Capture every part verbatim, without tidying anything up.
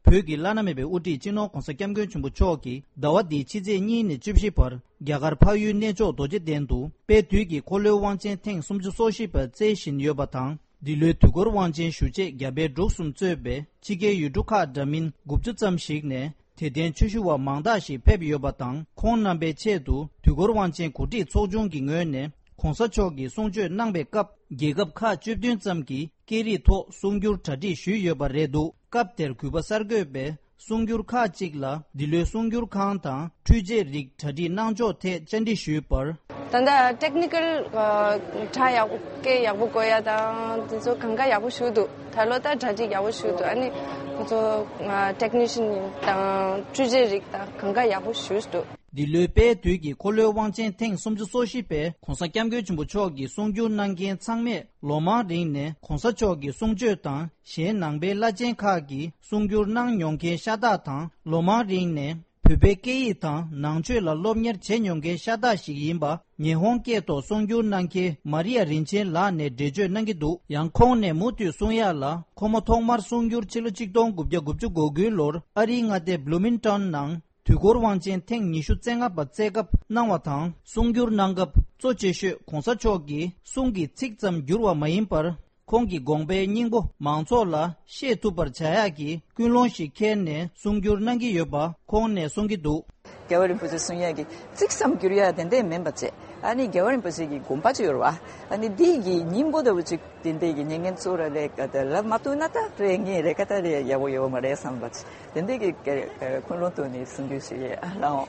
བོད་ཀྱི་བླ་ན་མེད་པའི་དབུ་ཁྲིད་སྤྱི་ནོར་༧གོང་ས་༧སྐྱབས་མགོན་ཆེན་པོ་མཆོག་གིས་ཟླ་བ་འདིའི་ཕྱི་ཚེས་གཉིས་ནས་བཅུ་བཞི་བར་རྒྱ་གར་འཕགས་ཡུལ་གནས་མཆོག་རྡོ་རྗེ་གདན་དུ་དཔལ་དུས་ཀྱི་འཁོར་ལོའི་དབང་ཆེན་ཐེངས་སུམ་ཅུ་སོ་བཞི་པ་རྩེ་བཞིན་ཡོད་པ་དང་། འདི་ལོའི་དུས་འཁོར་དབང་ཆེན་ཞུ་ཆེད་རྒྱ་བལ་འབྲུག་གསུམ་གཙོས་པའི་ཕྱི་རྒྱལ་ཡུལ་གྲུ་ཁག་འདྲ་མིན་དགུ་བཅུ་ཙམ་ཞིག་ནས་དད་ལྡན་ཆོས་ཞུ་བ་མང་དག་ཞིག་ཕེབས་ཡོད་པ་དང་། ཁོང་རྣམ་པའི་ཆེད་དུ་དུས་འཁོར་དབང་ཆེན་གོ་སྒྲིག་ཚོགས་ཆུང་གི་ངོས་ནས་༧གོང་ས་མཆོག་གིས་གསུང་ཆོས་གནང་པའི་སྐབས། རྒྱལ་ཁབ་ཁག་བཅུ་བདུན་ཙམ་གྱི་སྐད་རིགས་ཐོག་གསུང་སྒྱུར་གྲ་སྒྲིག་ཞུས་ཡོད་པ་རེད་འདུག་སྐབས་དེར་གུས་པ་གསར་འགོད་པས་གསུང་སྒྱུར་ཁག་ཅིག་ལ་འདི་ལོའི་གསུང་སྒྱུར་ཁང་དང་འཕྲུལ་ཆས་རིགས་གྲ་སྒྲིག་གནང་ཕྱོགས་ཐད་བཅར་འདྲི་ཞུས་པར། ད་ལྟ་ཊེག་ནི་ཀལ་ཨ་དྲ་ཡག་པོ་སྐད་ཡག་པོ་གོ་ཡ་དང་དེ་ཚོ་གང་ག་ཡག་པོ་ཞུ་འདུག་ད་ལོ་ད་གྲ་སྒྲིག་ཡག་པོ་ཞུ་འདུག་ཨ་ནི་ཁོ་ཚོ་ཨ་ཊེག་ནི་ཤན་དང་འཕྲུལ་ཆས་རིགས་དང་གང་ག་ཡག་པོ་ཞུ་འདུག་འདི་ལོའི་དཔལ་དུས་ཀྱི་འཁོར་ལོའི་དབང་ཆེན་ཐེངས་སུམ་ཅུ་སོ་བཞི་པའི་༧གོང་ས་༧སྐྱབས་མགོན་ཆེན་པོ་མཆོག་གི་གསུང་སྒྱུར་གནང་མཁན་ཚང་མས་ལོ་མང་རིང་ནས་༧གོང་ས་མཆོག་གི་གསུང་ཆོས་དང་གཞན་ནང་པའི་བླ་ཆེན་ཁག་གི་གསུང་སྒྱུར་གནང་མྱོང་མཁན་ཤ་སྟག་དང་། ལོ་མང་རིང་ནས་བོད་པའི་སྐད་ཡིག་དང་ནང་ཆོས་ལ་སློབ་གཉེར་བྱས་མྱོང་མཁན་ཤ་སྟག་ཞིག་ཡིན་པ། ཉི་ཧོང་སྐད་ཐོག་གསུང་སྒྱུར་གནང་མཁན་མ་རི་ཡ་རིན་ཆེན་ལགས་ནས་འགྲེལ་བརྗོད་གནང་གི་འདུག་ཡང་ཁོང་ནས་མུ་མཐུད་གསུང་ཡག་ལ། ཁོ་མོ་ཐོག་མར་གསུང་སྒྱུར་ཕྱི་ལོ་ཆིག་སྟོང་དགུ་བརྒྱ་དགུ་བཅུ་གོ་དགུའི་ལོར་ཨ་རིའི་མངའ་སྡེ་བྷ་ལུ་མིང་ཊོན་ནང་དུས་འཁོར་དབང་ཆེན་ཐེངས་ཉི་ཤུ་རྩ་ལྔ་པ་རྩེ་སྐབས་གནང་བ་དང་། གསུང་སྒྱུར་གནང་སྐབས་གཙོ་ཆེ་ཤོས་༧གོང་ས་མཆོག་གི་གསུང་གི་ཚིག་ཙམ་བསྒྱུར་བ་མ་ཡིན་པར། ཁོང་གི་དགོངས་པའི་སྙིང་པོ་མང་ཚོགས་ལ་ཤེས་ཐུབ་པར་བྱ་ཡག་གི་ཀུན་སློང་ཞིག་འཁྱེར་ནས་གསུང་སྒྱུར་གནང་གི་ཡོད་པ་ཁོང་ནས་གསུང་གི་འདུག་རྒྱལ་བ་རིན་པོ་ཆེ་གསུང་ཡག་གི་ཚིག་ཙམ་བསྒྱུར་ཡག་དེ་འདྲས་མིན་པ་བྱས། ཨ་ནི་རྒྱལ་བ་རིན་པོ་ཆེ་གི་དགོངས་པ་ཅིག་ཡོད་རེད་བ། ཨ་ནི་འདི་གི་སྙིང་པོ་ལྟ་བུ་ཅིག་དེ་འདྲས་ཀྱི་ཉན་མཁན་ཚོ་ལ་ལས་ཀ་དེ་ལབ་མ་ཐུབ་ན་ད་རེ་ངས་རེ་ཀ་ད་རེ་ཡག་པོ་ཡོད་མ་རེད་བསམ་པ་ཅིག་དེ་འདྲས་ཀྱི་ཀ་ཀ་ཀུན་སློང་ཐོག་ནས་གསུང་རྒྱུ་ཞིག་ཡོད་ཨ་ལའོ།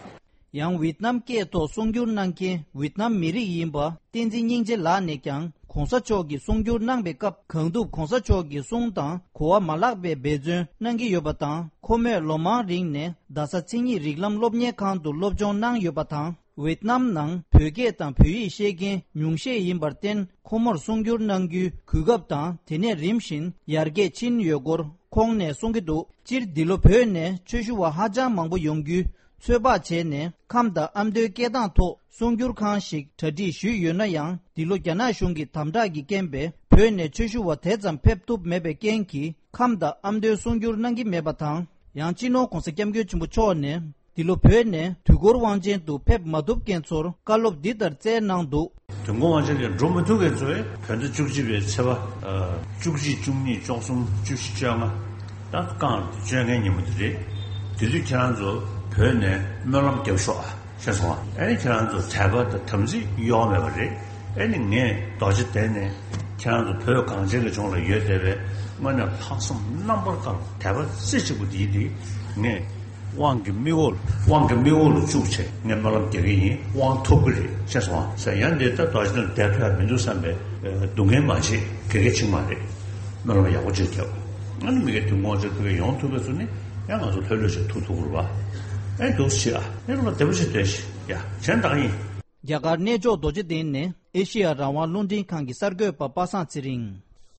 ཡང་ཝེད་ནམ་སྐད་ཐོག་གསུང་སྒྱུར་གནང་མཁན་ཝེད་ནམ་མི་རིགས་ཡིན་པ་བསྟན་འཛིན་སྙིང་རྗེ་ལགས་ནས་ཀྱང་༧གོང་ས་མཆོག་གིས་གསུང་སྒྱུར་གནང་པའི་སྐབས་གང་ཐུབ་༧གོང་ས་མཆོག་གི་གསུང་དང་གོ་བ་མ་བརླག་པའི་འབད་བརྩོན་གནང་གི་ཡོད་པ་དང་། ཁོ་མོས་ལོ་མང་རིང་ནས་རྡ་ས་མཚན་ཉིད་རིགས་ལམ་སློབ་གཉེར་ཁང་དུ་སློབ་སྦྱོང་གནང་ཡོད་པ་དང་། ཝེད་ནམ་ནང་བོད་སྐད་དང་བོད་ཡིག་ཤེས་མཁན་ཉུང་ཤས་ཡིན་པར་བརྟེན། ཁོ་མོར་གསུང་སྒྱུར་གནང་རྒྱུའི་གོ་སྐབས་དང་དེ་ནས་རིམ་བཞིན་ཡར་རྒྱས་ཕྱིན་ཡོད་སྐོར་ཁོང་ནས་གསུང་གི་འདུག་སྤྱིར་འདི་ལོ་བོད་ནས་ཆོས་ཞུ་བ་ཧ་ཅང་མང་པོ་ཡོང་རྒྱུའི་ཚོད་དཔག་བྱས་ནས། ཁམས་དང་ཨ་མདོའི་སྐད་གདངས་ཐོག་གསུང་སྒྱུར་ཁང་ཞིག་གྲ་སྒྲིག་ཞུས་ཡོད་ན་ཡང་། འདི་ལོ་རྒྱ་ནག་གཞུང་གི་དམ་དྲག་གི་རྐྱེན་པས་བོད་ནས་ཆོས་ཞུ་བ་དེ་ཙམ་ཕེབས་ཐུབ་མེད་པའི་རྐྱེན་གྱིས། ཁམས་དང་ཨ་མདོའི་གསུང་སྒྱུར་གནང་གི་མེད་པ་དང་། ཡང་སྤྱི་ནོར་༧གོང་ས་༧སྐྱབས་མགོན་ཆེན་པོ་མཆོག་ནས། འདི་ལོ་བོད་ནས་དུས་འཁོར་དབང་ཆེན་དུ་ཕེབས་མ་ཐུབ་མཁན་ཚོར་བཀའ་སློབ་འདི་ལྟར་སྩལ་གནང་འདུག་དུས་འཁོར་དབང་ཆེན་ལ་འགྲོ་མི་ཐུབ་མཁན་ཚོས་བོད་ཟླ་བཅུ་གཅིག་པའི་ཚེས་པ་ཨ་བཅུ་གཅིག་བཅུ་གཉིས་བཅུ་གསུམ་བཅུ་བཞི་བཅོ་ལྔ་ད་རྐང་བཅོ་ལྔའི་ཉིན་མོ་དེ་རེད། དེ་དུས་ཁྱེད་རང་ཚོ་བོད་ནས་སྨོན་ལམ་རྒྱབ་ཤོག་ཨ། ཤེས་སོང་ཨ། ཨ་ནི་ཁྱེད་རང་ཚོ་དད་པ་དང་དམ་ཚིག་གཡོ་བ་མེད་པ་རེད། ཨ་ནི་ངས་རྡོ་རྗེ་གདན་ནས་ཁྱེད་རང་ཚོ་བོད་གངས་ཅན་གྱི་ལྗོངས་ལ་ཡོད་བསྡད་པའི་དངོས་གནས་ལྷག་བསམ་རྣམ་པར་དཀར་དད་པ་རྩེ་གཅིག་པ་འདིའི་འདི་ངས་དབང་གི་མིག་འོག་དབང་གི་མིག་འོག་ལ་བཅུག་བྱས་ངས་སྨོན་ལམ་རྒྱག་གི་ཡིན། དབང་ཐོབ་ཀྱི་རེད། ཤེས་སོང་ཨ། ཟེར་ཡང་འདི་ལྟར་རྡོ་རྗེ་གདན་བསྡད་ཐུབ་ཡ་མི་འདུག་བསམ་པའི་སྡུག་བསྔལ་མ་བྱེད། དགེ་རྒན་ཆིག་མ་རེད། སྨོན་ལམ་ཡག་པོ་ཅིག་རྒྱབ། ཨ་ནི་མི་སྒེར་དུས་འགོ་ཅིག་ཕུལ་གི་ཡོང་ཐུབ་པའི་ཚུལ་ནི་ཡང་ང་ཚོ་ལྷོད་ལྷོད་ཅིག་ཐུག་ཐུབ་རུ་བ། ཨེ་འདུག་ཞེས་ཨ་ཨེ་རུ་ལ་བདེ་པོ་ཞིག་བསྡད་ཤིག་ཡ་གཞན་དག་ཡིན། རྒྱ་གར་གནས་མཆོག་རྡོ་རྗེ་གདན་ནས་ཨེ་ཤེ་ཡ་རང་དབང་རླུང་འཕྲིན་ཁང་གི་གསར་འགོད་པ་པ་སངས་ཚེ་རིང་།